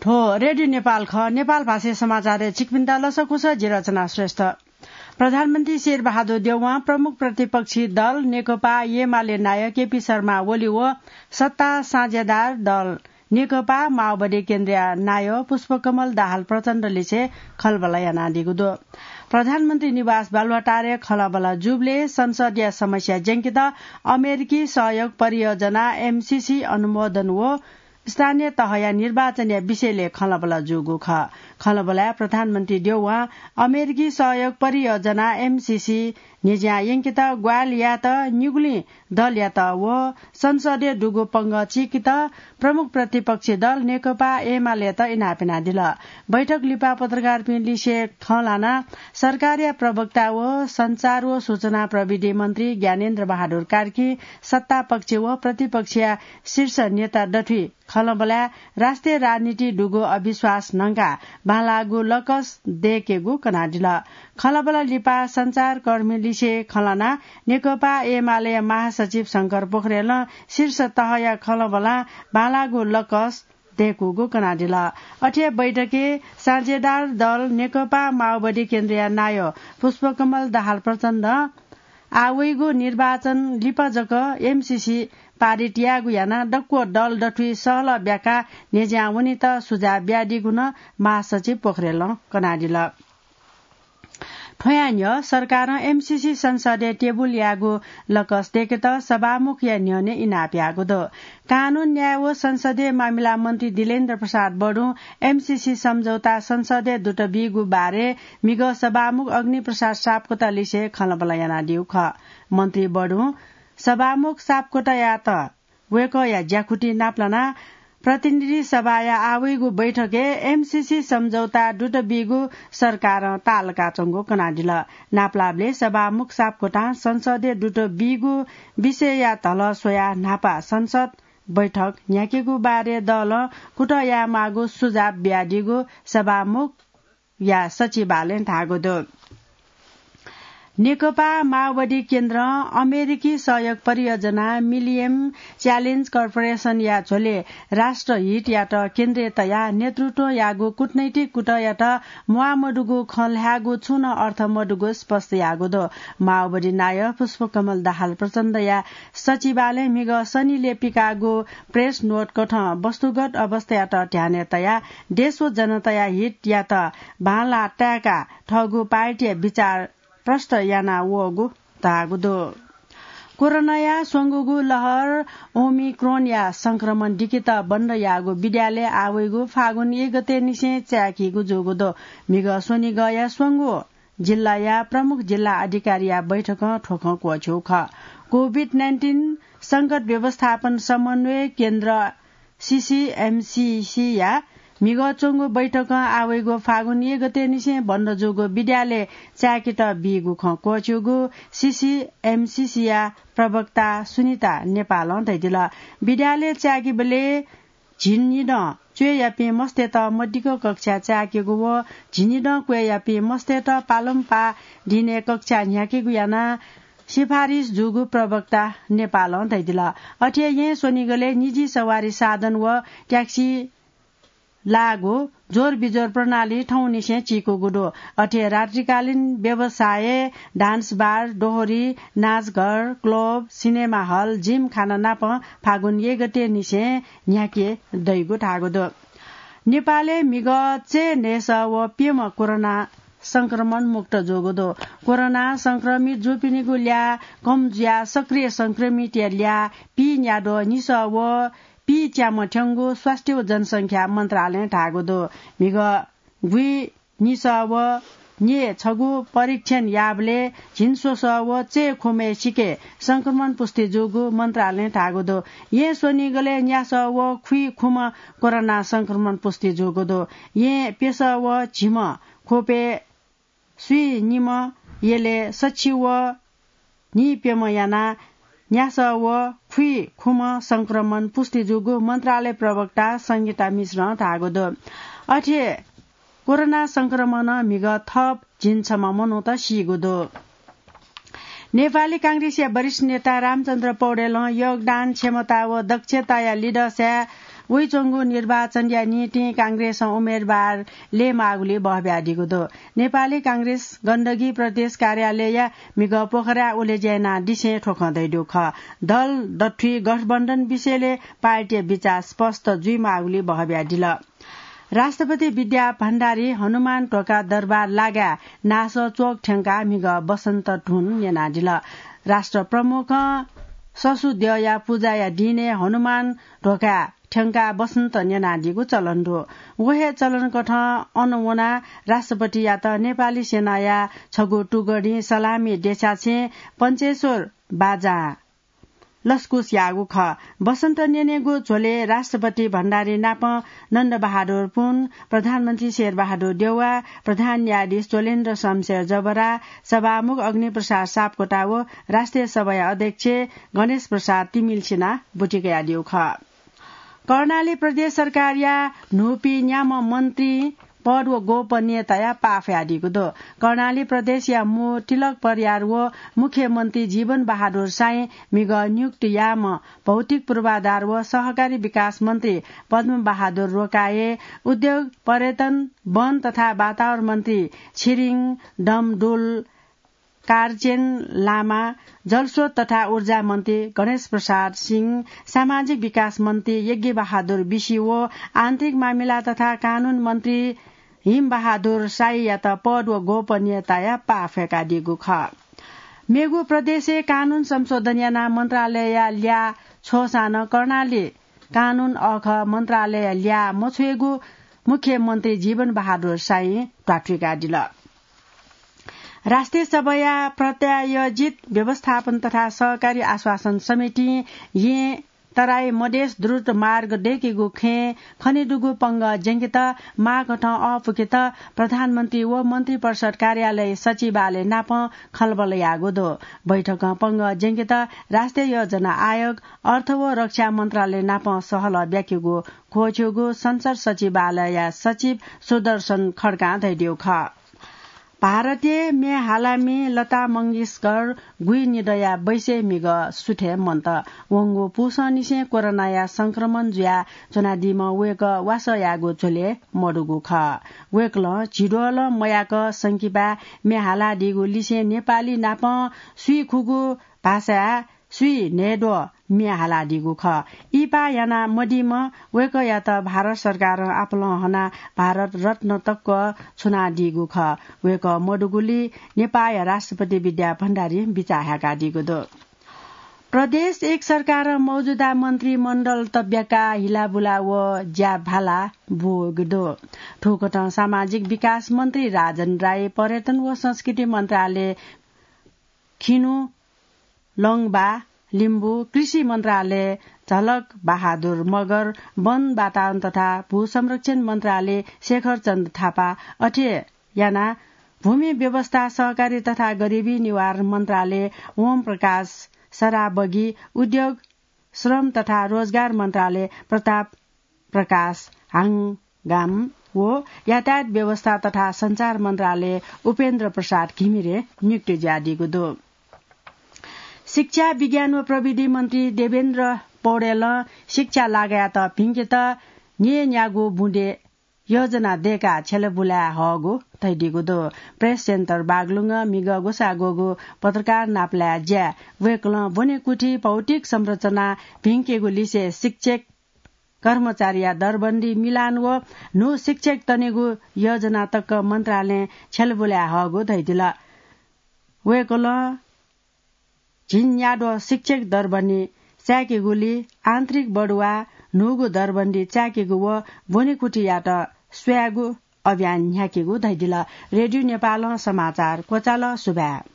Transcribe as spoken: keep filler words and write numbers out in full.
थ्व रेडियो नेपाल खः। नेपाल भाषाय् समाचारय् छिकपिन्त लसकुस, जि रचना श्रेष्ठ। प्रधानमन्त्री शेरबहादुर देउवां प्रमुख प्रतिपक्षी दल नेकपा एमाले नायः केपी शर्मा ओली व सत्ता साझेदार दल नेकपा माओवादी केन्द्रया नायः पुष्पकमल दाहाल प्रचण्डलिसे खँल्हाबल्हा यानादीगु दु। प्रधानमन्त्री निवास बालुवाटारय् खँल्हाबल्हा जूबलय् संसदया समस्या ज्यंकेत अमेरिकी सहयोग परियोजना एमसीसी अनुमोदन व स्थानीय तहया निर्वाचनया विषयलय् खँल्हाबल्हा जूगु खः। खँल्हाबल्हाय् प्रधानमन्त्री देउवां अमेरिकी सहयोग परियोजना एमसीसी न्ह्यज्यां यंकेत ग्वाहालि यायेत निगुलिं दलयात व संसदय् दुगु पंगः चीकेत प्रमुख प्रतिपक्षी दल नेकपा एमालेत इनाप यानादिल। बैठक लिपा पत्रकारपिं लिसे खँ ल्हानाः सरकारया प्रवक्ता व सञ्चार व सूचना प्रविधि मन्त्री ज्ञानेन्द्र बहादुर कार्कीं सत्तापक्ष व प्रतिपक्षया शीर्ष नेता दथुइ खँल्हाबल्हाय् राष्ट्रिय राजनीति दुगु अविश्वास न्हंकाः बांलाःगु लकस दय्केगु कनादिल। खँल्हाबल्हा लिपा सञ्चारकर्मीलिसे खँ ल्हानाः नेकपा एमालेया महासचिव शंकर पोखरेलं शीर्ष तहया खँल्हाबल्हां बांलाःगु लकस दय्कूगु कनादिल। अथे बैठकय् साझेदार दल नेकपा माओवादी केन्द्रया नायः पुष्पकमल दाहाल प्रचण्डं आः वइगु निर्वाचन लिपा जक एमसीसी पारित यायेगु यानाः दक्व दल दथुइ सहलह ब्याकाः न्ह्यज्यां वनेत सुझाव बियादीगु नं महासचिव पोखरेलं कनादिल। थ्वया न्ह्यः सरकारं एमसीसी संसदय् टेबुल यायेगु लकस दय्केत सभामुखया न्ह्यःने इनाप याःगु दु। कानून, न्याय व संसदीय मामिला मन्त्री दिलेन्द्र प्रसाद बडुं एमसीसी सम्झौता संसदय् दुत बीगु बारे म्हिगः सभामुख अग्निप्रसाद सापकोटालिसे खँल्हाबल्हा यानादीगु खः। मन्त्री बडुं सभामुख सापकोटायात वय्कःया ज्याकुथि नापलानाः प्रतिनिधि सभाया आः वइगु बैठकय् एमसीसी सम्झौता दुत बीगु सरकारं ताःलाकाच्वंगु कनादिल। नापलाःबलय् सभामुख सापकोटां संसदय् दुत बीगु विषयया धलः स्वयाः न्हापा संसद बैठक न्ह्याकेगु बारे दलं कुतः यायेमाःगु सुझाव बियादीगु सभामुख या सचिवालयं धाःगु दु। नेकपा माओवादी केन्द्रं अमेरिकी सहयोग परियोजना मिलिनियम च्यालेन्ज कर्पोरेसनया झ्वलय् राष्ट्रहितयात केन्द्रय् तयाः नेतृत्व याःगु कूटनैतिक कुतःयात म्वाः मदुगु खँ ल्हायेगु छुं नं अर्थ मदुगु स्पष्ट याःगु दु। माओवादी नायः पुष्पकमल दाहाल प्रचण्डया सचिवालयं म्हिगः शनिलय् पिकाःगु प्रेस नोट कथं वस्तुगत अवस्थायात ध्यानय् तयाः देश व जनताया हितयात बांलाः ताय्काः थःगु पार्टीया विचार प्रष्ट याना वःगु धाःगु दु। कोरोनाया स्वंगूगु लहर ओमिक्रोनया संक्रमण दिकेत बन्द याःगु विद्यालय आः वइगु फागुन एक गते निसें चाय्कीगु जूगु दु। म्हिगः स्वनिगःया स्वंगू जिल्लाया प्रमुख जिल्ला अधिकारीया बैठकं थ्व खँ क्वःछ्यू खः। कोभिड नाइन्टिन संकट व्यवस्थापन समन्वय केन्द्र सीसीएमसीसीया म्हिगः च्वंगु बैठकं आः वइगु फागुन एक गते निसें बन्द जूगु विद्यालय चाय्केत बीगु खँ क्वःछ्यूगु सीसीएमसीसीया प्रवक्ता सुनिता नेपालं धयादिल। विद्यालय चाय्केबलय् झिंनिदँ च्वय्‌यापिं मस्तय्त मदिक्क कक्षा चाय्केगु व झिंनिदँ क्वय्‌यापिं मस्तय्त पालंपाः दिनय् कक्षा न्ह्याकेगु यानाः सिफारिस जूगु प्रवक्ता नेपालं धयादिल। अथे येँ स्वनिगलय् निजी सवारी साधन व ट्याक्सी लाःगु जोरबिजोर प्रणाली थौंनिसें चीकूगु दु। अथे रात्रिकालीन व्यवसाय, डान्स बार, डोहोरी, नाचघर, क्लब, सिनेमा हल, जिमखाना नाप फागुन एक गते निसें न्ह्याके दइगु धाःगु दु। नेपालय् म्हिगः चय् न्हय्‌सः व प्यम्ह कोरोना संक्रमण मुक्त जूगु दु। कोरोना संक्रमित जूपिनिगु ल्याः कम जुयाः सक्रिय संक्रमितया ल्याः पीन्याद्वः निसः व पीच्याम्ह थ्यंगु स्वास्थ्य व जनसंख्या मन्त्रालयं धाःगु दु। म्हिगः गुइनिसः व न्यय्‌छगू परीक्षण याःबलय् झिंस्वसः व चय्‌खुम्हय् सिके संक्रमण पुष्टि जूगु मन्त्रालयं धाःगु दु। येँ स्वनिगलय् न्यासः व खुइखुम्ह कोरोना संक्रमण पुष्टि जूगु दु। येँ प्यसः व झिम्ह ख्वपय् स्वीनिम्ह, यलय् सछि व नीप्यम्ह यानाः न्यासः व खुइखुम्ह संक्रमण पुष्टि जूगु मन्त्रालय प्रवक्ता संगीता मिश्रं धाःगु दु। अथे कोरोना संक्रमणं म्हिगः थप झिंछम्ह मनूत सीगु दु। नेपाली कांग्रेसया वरिष्ठ नेता रामचन्द्र पौडेलं योगदान, क्षमता व दक्षताया लिधंसाय् वइच्वंगु निर्वाचनया निंतिं कांग्रेसं उम्मेदवार लय्‌माःगुली बहब्यादीगु दु। नेपाली कांग्रेस गण्डकी प्रदेश कार्यालयया म्हिगः पोखराय् उलेज्या यानादिसें थ्व खँ धयादीगु खः। दल दथुइ गठबन्धन विषयलय् पार्टीया बिचाः स्पष्ट जुइमाःगुली बहब्यादिल। राष्ट्रपति विद्या भण्डारी हनुमान ध्वाखा दरबार लागाय् नासः च्वक थ्यंकाः म्हिगः वसन्त धुन न्यनादिल। राष्ट्र प्रमुखं ससु द्यःया पुजाया दिनय् हनुमान ध्वाखा थ्यंकाः वसन्त न्यनादीगु चलन दु। व हे चलनकथं अन वनाः राष्ट्रपतियात नेपाली सेनाया छगू टुकडीं सलामी देछासें पञ्चेश्वर बाजां लसकुस याःगु खः। वसन्त न्यनेगु झ्वलय् राष्ट्रपति भण्डारी नाप नन्दबहादुर पुन, प्रधानमन्त्री शेरबहादुर देउवा, प्रधान न्यायाधीश चोलेन्द्र शमशेर जबरा, सभामुख अग्निप्रसाद सापकोटा व राष्ट्रिय सभाया अध्यक्ष गणेश प्रसाद तिमिल्सिनां ब्वति कयादीगु खः। कर्णाली प्रदेश सरकारया न्हूपिं न्याम्ह मन्त्री पद व गोपनीयताया पाः फ्वयादीगु दु। कर्णाली प्रदेशया मू तिलक परियार व मुख्यमन्त्री जीवन बहादुर साई म्हिगः नियुक्त याःम्ह भौतिक पूर्वाधार व सहकारी विकास मन्त्री पद्म बहादुर रोकाये, उद्योग, पर्यटन, वन तथा वातावरण मन्त्री छिरिङ डमडुल कारचेन लामा, जलस्रोत तथा ऊर्जा मन्त्री गणेश प्रसाद सिंह, सामाजिक विकास मन्त्री यज्ञ बहादुर बिसी व आन्तरिक मामिला तथा कानून मन्त्री हिम बहादुर साईयात पद व गोपनीयताया पाः फ्वय्‌कादीगु खः। मेगु प्रदेशय् कानून संशोधन यानाः मन्त्रालयया ल्याः छ्वःसां नं कर्णाली कानून अःखः मन्त्रालयया ल्याः मछ्वयेगु मुख्यमन्त्री जीवन बहादुर साईं ध्वाथुइकादिल। राष्ट्रिय सभाया प्रायोजित व्यवस्थापन तथा सहकारी आश्वासन समितिं येँ तराई मधेस द्रुत मार्ग दय्‌केगु खँय् खनेदुगु पंगः ज्यंकेत माःकथं अःपुकेत प्रधानमन्त्री व मन्त्रिपरिषद कार्यालय सचिवालय नाप खँल्हाबल्हा याःगु दु। बैठकं पंगः ज्यंकेत राष्ट्रिय योजना आयोग, अर्थ व रक्षा मन्त्रालय नाप सहलह ब्याकेगु क्वःछिउगु संसद सचिवालयया सचिव सुदर्शन खड्कां धयादीगु खः। भारतय् म्ये हालामि लता मंगेशकर गुइनिदँया बैसय् म्हिगः सुथय् मन्त। वंगु पुसंनिसें कोरोनाया संक्रमण जुया च्वनादीम्ह वय्‌कः वासः याःगु झ्वलय् मदुगु खः। वय्‌कलं झिद्वलं मयाक संकिपाय् म्ये हालादीगु लिसें नेपाली नाप स्वीखुगु भाषाय् स्वीन्हय्‌द्वः म्ये हालादीगु खः। इहिपाः याना मदीम्ह वय्‌कःयात भारत सरकारं आपालं हनाः भारत रत्न तक छुनादीगु खः। वय्‌कः मदुगुलिं नेपाःया राष्ट्रपति विद्या भण्डारीं बिचाः हाय्‌कादीगु दु। प्रदेश एक सरकारं मौजुदा मन्त्रीमण्डल तब्याकाः हिलाबुला व ज्या भाला ब्वःगु दु। थुकथं सामाजिक विकास मन्त्री राजन राई, पर्यटन व संस्कृति मन्त्रालय खिनु लंबा लिम्बू, कृषि मन्त्रालय झलक बहादुर मगर, वन वातावरण तथा भू संरक्षण मन्त्रालय शेखर चन्द्र थापा, अथे याना भूमि व्यवस्था, सहकारी तथा गरिबी निवारण मन्त्रालय ओम प्रकाश सराबगी, उद्योग, श्रम तथा रोजगार मन्त्रालय प्रताप प्रकाश हाङगाम व यातायात व्यवस्था तथा सञ्चार मन्त्रालय उपेन्द्र प्रसाद घिमिरे नियुक्त जुयादीगु दु। शिक्षा, विज्ञान व प्रविधि मन्त्री देवेन्द्र पौडेलं शिक्षा लागायात भिंकेत न्यय्‌न्यागू बुँदे योजना दय्‌काः छ्यलाबुलाय् हःगु धयादीगु दु। प्रेस सेन्टर बागलुङं म्हिगः ग्वसाः ग्वःगु पत्रकार नापलाये ज्याय् वय्‌कलं ब्वनेकुथि भौतिक संरचना भिंकेगु लिसे शिक्षक कर्मचारीया दरबन्दी मिलान व न्हू शिक्षक तनेगु योजना तक मन्त्रालयं छ्यलाबुलाय् हःगु धयादिल। वय्‌कलं झिंन्याद्वः शिक्षक दरबन्दी चाय्‌केगुलिं आन्तरिक बढुवा, न्हूगु दरबन्दी चाय्‌केगु व ब्वनेकुथियात स्वयेगु अभियान न्ह्याकेगु धयादिल। रेडियो नेपालं समाचार क्वचाल। सुभाय्।